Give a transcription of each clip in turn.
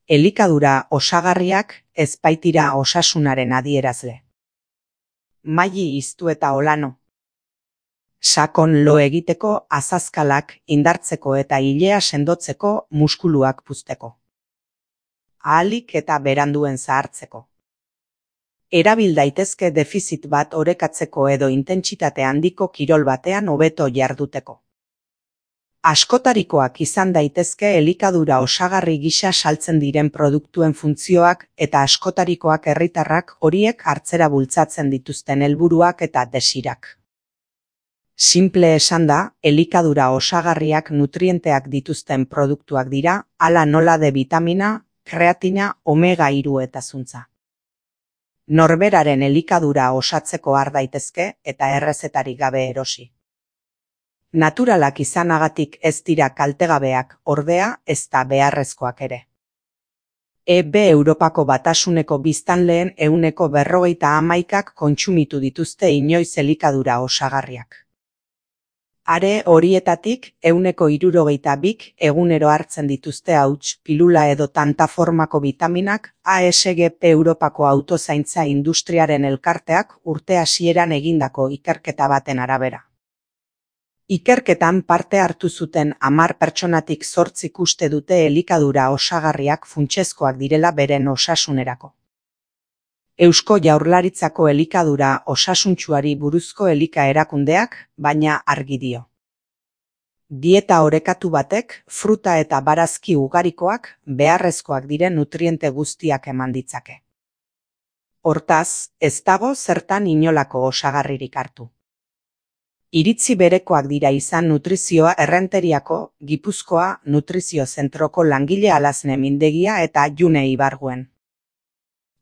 Elikadura osagarriak ez baitira osasunaren adierazle. Maili iztu eta olano. Sakon lo egiteko, azazkalak indartzeko eta ilea sendotzeko, muskuluak puzteko. Ahalik eta beranduen zahartzeko. Erabil daitezke defizit bat orekatzeko edo intentsitate handiko kirol batean hobeto jarduteko. Askotarikoak izan daitezke elikadura osagarri gisa saltzen diren produktuen funtzioak eta askotarikoak herritarrak horiek hartzera bultzatzen dituzten helburuak eta desirak. Simple esanda, elikadura osagarriak nutrienteak dituzten produktuak dira, hala nola D bitamina, kreatina, omega 3 eta zuntza. Norberaren elikadura osatzeko har daitezke eta errezetarik gabe erosi. Naturalak izanagatik ez dira kaltegabeak, ordea ez da beharrezkoak ere. Europako Batasuneko biztanleen 51%ak kontsumitu dituzte inoiz elikadura osagarriak. Are horietatik 62%k egunero hartzen dituzte hauts, pilula edo tanta formako vitaminak, ASGP Europako autozaintza industriaren elkarteak urte hasieran egindako ikerketa baten arabera. Ikerketan parte hartu zuten 10 pertsonatik 8 uste dute elikadura osagarriak funtsezkoak direla beren osasunerako. Eusko Jaurlaritzako elikadura osasuntsuari buruzko elika erakundeak, baina argi dio. Dieta orekatu batek, fruta eta barazki ugarikoak, beharrezkoak diren nutriente guztiak eman ditzake. Hortaz, ez dago zertan inolako osagarririk hartu. Iritzi berekoak dira izan nutrizioa Errenteriako, Gipuzkoa, Nutrizio Zentroko langile Alazne Mindegia eta June Ibarguen.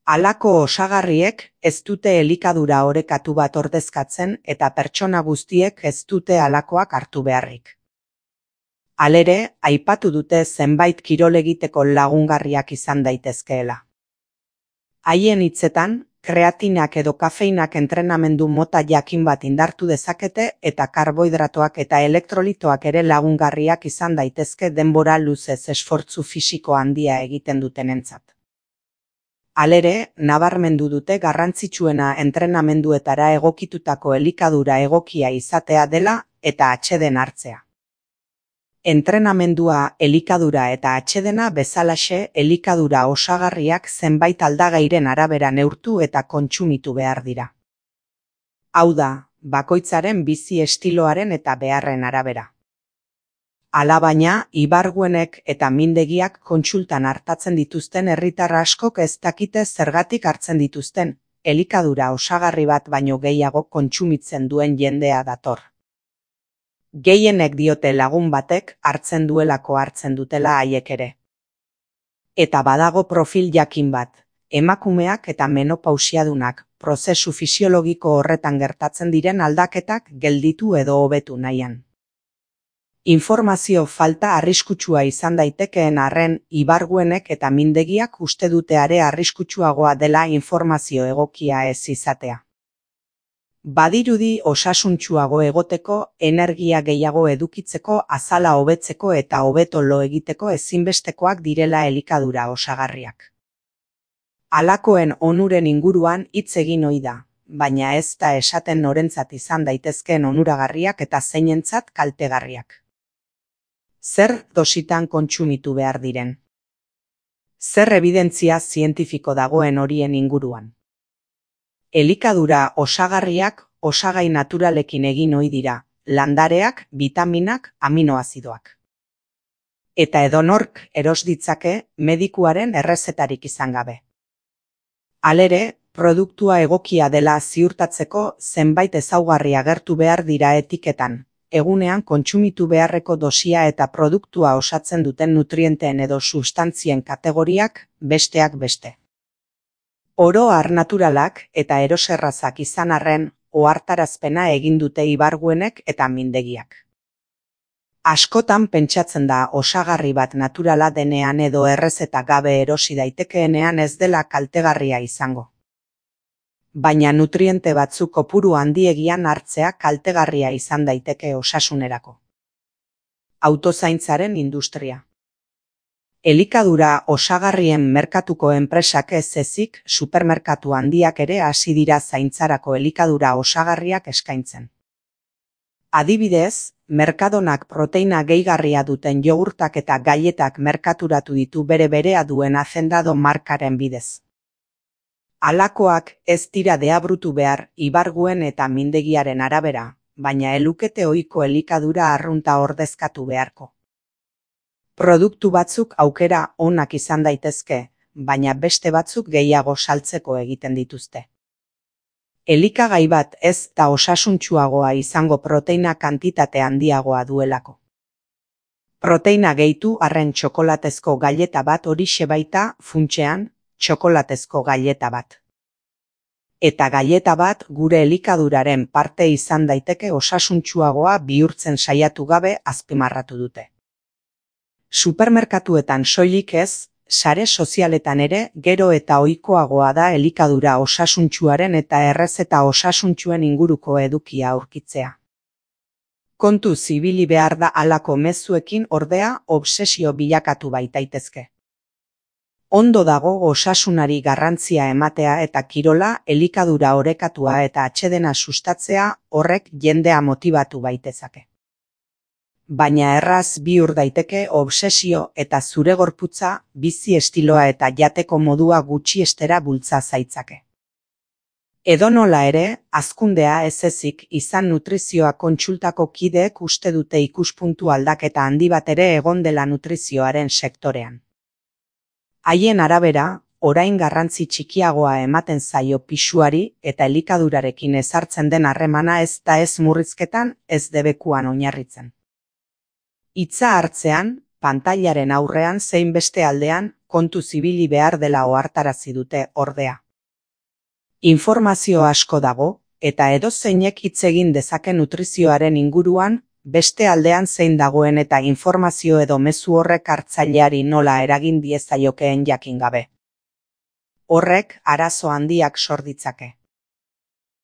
Halako osagarriek ez dute elikadura orekatu bat ordezkatzen eta pertsona guztiek ez dute halakoak hartu beharrik. Halere, aipatu dute zenbait kirol egiteko lagungarriak izan daitezkeela. Haien hitzetan, kreatinak edo kafeinak entrenamendu mota jakin bat indartu dezakete eta karbohidratoak eta elektrolitoak ere lagungarriak izan daitezke denbora luzez esfortzu fisiko handia egiten dutenentzat. Halere, nabarmendu dute garrantzitsuena entrenamenduetara egokitutako elikadura egokia izatea dela eta atseden hartzea. Entrenamendua, elikadura eta atsedena bezalaxe elikadura osagarriak zenbait aldagairen arabera neurtu eta kontsumitu behar dira. Hau da, bakoitzaren bizi estiloaren eta beharren arabera. Alabaina, Ibarguenek eta Mindegiak kontsultan hartatzen dituzten herritar askok ez dakite zergatik hartzen dituzten, elikadura osagarri bat baino gehiago kontsumitzen duen jendea dator. Gehienek diote lagun batek hartzen duelako hartzen dutela haiek ere. Eta badago profil jakin bat, emakumeak eta menopausiadunak, prozesu fisiologiko horretan gertatzen diren aldaketak gelditu edo hobetu nahian. Informazio falta arriskutsua izan daitekeen arren, Ibarguenek eta Mindegiak uste dute are arriskutsuagoa dela informazio egokia ez izatea. Badirudi osasuntsuago egoteko, energia gehiago edukitzeko, azala hobetzeko eta hobeto lo egiteko ezinbestekoak direla elikadura osagarriak. Halakoen onuren inguruan hitz egin ohi da, baina ez da esaten norentzat izan daitezkeen onuragarriak eta zeinentzat kaltegarriak. Zer dositan kontsumitu behar diren? Zer ebidentzia zientifiko dagoen horien inguruan? Elikadura osagarriak osagai naturalekin egin ohi dira, landareak, vitaminak, aminoazidoak. Eta edonork eros ditzake medikuaren errezetarik izan gabe. Halere, produktua egokia dela ziurtatzeko zenbait ezaugarri agertu behar dira etiketan, egunean kontsumitu beharreko dosia eta produktua osatzen duten nutrienteen edo substantzien kategoriak, besteak beste. Oro har naturalak eta eroserrazak izan arren, ohartarazpena egin dute Ibarguenek eta Mindegiak. Askotan pentsatzen da osagarri bat naturala denean edo errezeta gabe erosi daitekeenean ez dela kaltegarria izango. Baina nutriente batzuk kopuru handiegian hartzea kaltegarria izan daiteke osasunerako. Autozaintzaren industria. Elikadura osagarrien merkatuko enpresak ez ezik, supermerkatu handiak ere hasi dira zaintzarako elikadura osagarriak eskaintzen. Adibidez, Mercadonak proteina gehigarria duten jogurtak eta gailetak merkaturatu ditu berea duen Hacendado markaren bidez. Halakoak ez dira deabrutu behar ibarguen eta mindegiaren arabera, baina elukete ohiko elikadura arrunta ordezkatu beharko. Produktu batzuk aukera onak izan daitezke, baina beste batzuk gehiago saltzeko egiten dituzte. Elikagai bat ez da osasuntsuagoa izango proteina kantitate handiagoa duelako. Proteina gehitu arren txokolatezko gaileta bat horixe baita funtsean txokolatezko gaileta bat. Eta gaileta bat gure elikaduraren parte izan daiteke osasuntsuagoa bihurtzen saiatu gabe azpimarratu dute. Supermerkatuetan soilik ez, sare sozialetan ere gero eta ohikoagoa da elikadura osasuntsuaren eta errezeta osasuntsuen inguruko edukia aurkitzea. Kontu zibili behar da halako mezuekin ordea obsesio bilakatu baitaitezke. Ondo dago osasunari garrantzia ematea eta kirola elikadura orekatua eta atsedena sustatzea horrek jendea motibatu baitezake. Baina erraz bihur daiteke obsesio eta zure gorputza, bizi estiloa eta jateko modua gutxiestera bultza zaitzake. Edonola ere, hazkundea ez ezik izan nutrizioa kontsultako kideek uste dute ikuspuntu aldaketa handi bat ere egon dela nutrizioaren sektorean. Haien arabera, orain garrantzi txikiagoa ematen zaio pisuari eta elikadurarekin ezartzen den harremana ez da ez murrizketan, ez debekuan oinarritzen. Hitza hartzean, pantailaren aurrean zein beste aldean kontu zibili behar dela ohartarazi dute ordea. Informazio asko dago, eta edozeinek hitz egin dezake nutrizioaren inguruan, beste aldean zein dagoen eta informazio edo mezu horrek hartzaileari nola eragin diezaiokeen jakin gabe. Horrek arazo handiak sor ditzake.